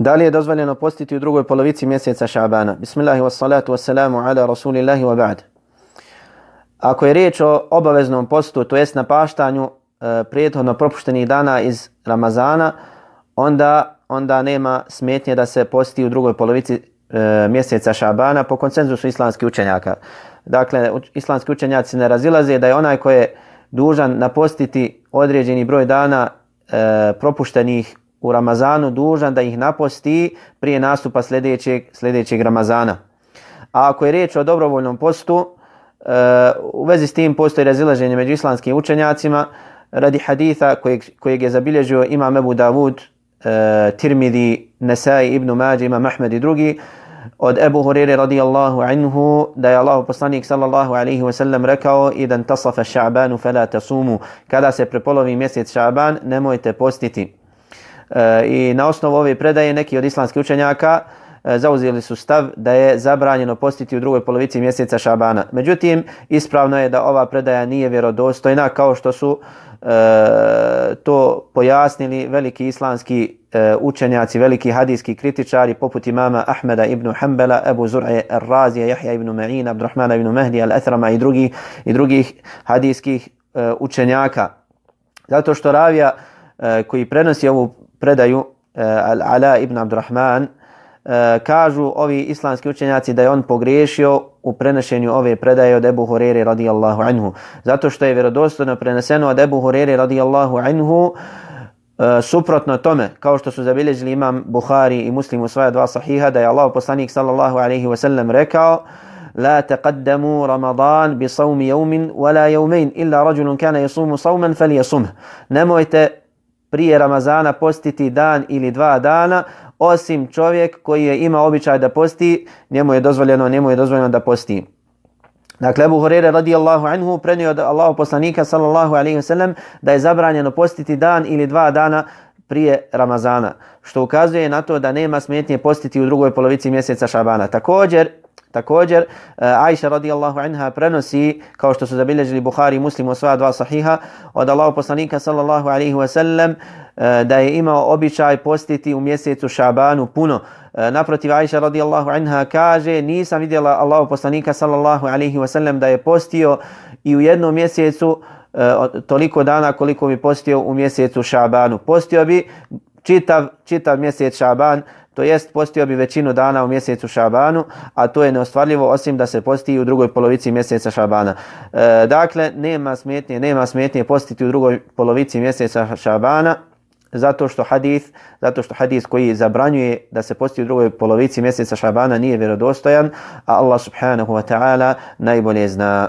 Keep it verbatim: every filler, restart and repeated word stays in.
Da li je dozvoljeno postiti u drugoj polovici mjeseca Šabana? Bismillahi wassalatu wassalamu ala rasulillahi wa ba'd. Ako je riječ o obaveznom postu, to jest napaštanju e, prethodno propuštenih dana iz Ramazana, onda, onda nema smetnje da se posti u drugoj polovici e, mjeseca Šabana po konsenzusu islamskih učenjaka. Dakle, islamski učenjaci ne razilaze da je onaj koji je dužan napostiti određeni broj dana e, propuštenih u Ramazanu dužan da ih naposti prije nastupa sljedećeg, sljedećeg Ramazana. A ako je riječ o dobrovoljnom postu, e, u vezi s tim postoji razilaženje među islamskim učenjacima radi haditha kojeg, kojeg je zabilježio imam Ebu Davud, e, Tirmidi, Nesai, Ibn Mađe, imam Ahmed i drugi, od Ebu Hurere radijallahu anhu da je Allahu poslanik sallallahu alaihi wa sallam rekao idan tasafa ša'banu fela tasumu, kada se prepolovi mjesec Ša'ban nemojte postiti. E, I na osnovu ove predaje neki od islamskih učenjaka e, zauzeli su stav da je zabranjeno postiti u drugoj polovici mjeseca Šabana. Međutim, ispravno je da ova predaja nije vjerodostojna, kao što su e, to pojasnili veliki islamski e, učenjaci, veliki hadijski kritičari poput imama Ahmeda ibn Hanbala, Ebu Zur'e Ar-Razija, Jahja ibn Ma'in, Abdurrahmana ibn Mahdi al-Athrama i drugih, i drugih hadijskih e, učenjaka. Zato što ravija e, koji prenosi ovu predaju uh, Al-Ala ibn Abdurrahman uh, kažu ovi islamski učenjaci da je on pogriješio u prenošenju ove predaje od Ebu Hurere radijallahu anhu. Zato što je vjerodostojno preneseno od Ebu Hurere radijallahu anhu uh, suprotno tome, kao što su zabilježili imam Buhari i Muslim u svoja dva sahiha, da je Allah poslanik sallallahu alaihi wa sallam rekao لا تقدموا رمضان بصوم يوم ولا يومين إلا رجل كان يصوم صوما فليصمه. Nemojte prije Ramazana postiti dan ili dva dana, osim čovjek koji je ima običaj da posti, njemu je dozvoljeno, njemu je dozvoljeno da posti. Dakle, Ebu Hurere radijallahu anhu prenio od Allahu poslanika sallallahu alaihi wa sallam da je zabranjeno postiti dan ili dva dana prije Ramazana, što ukazuje na to da nema smetnje postiti u drugoj polovici mjeseca Šabana. Također, Također, Aisha radijallahu anha prenosi, kao što su zabilježili Buhari i Muslim u svoja dva sahiha, od Allahu poslanika sallallahu alaihi wa sallam da je imao običaj postiti u mjesecu Šabanu puno. Naprotiv, Aisha radijallahu anha kaže, nisam vidjela Allahu poslanika sallallahu alaihi wa sallam da je postio i u jednom mjesecu toliko dana koliko bi postio u mjesecu Šabanu. Postio bi čitav, čitav mjesec Šaban, to jest postio bi većinu dana u mjesecu Šabanu, a to je neostvarljivo osim da se posti u drugoj polovici mjeseca Šabana. E, dakle, nema smetnje, nema smetnje postiti u drugoj polovici mjeseca Šabana, zato što hadis, zato što hadis koji zabranjuje da se posti u drugoj polovici mjeseca Šabana nije vjerodostojan, a Allah subhanahu wa ta'ala najbolje zna.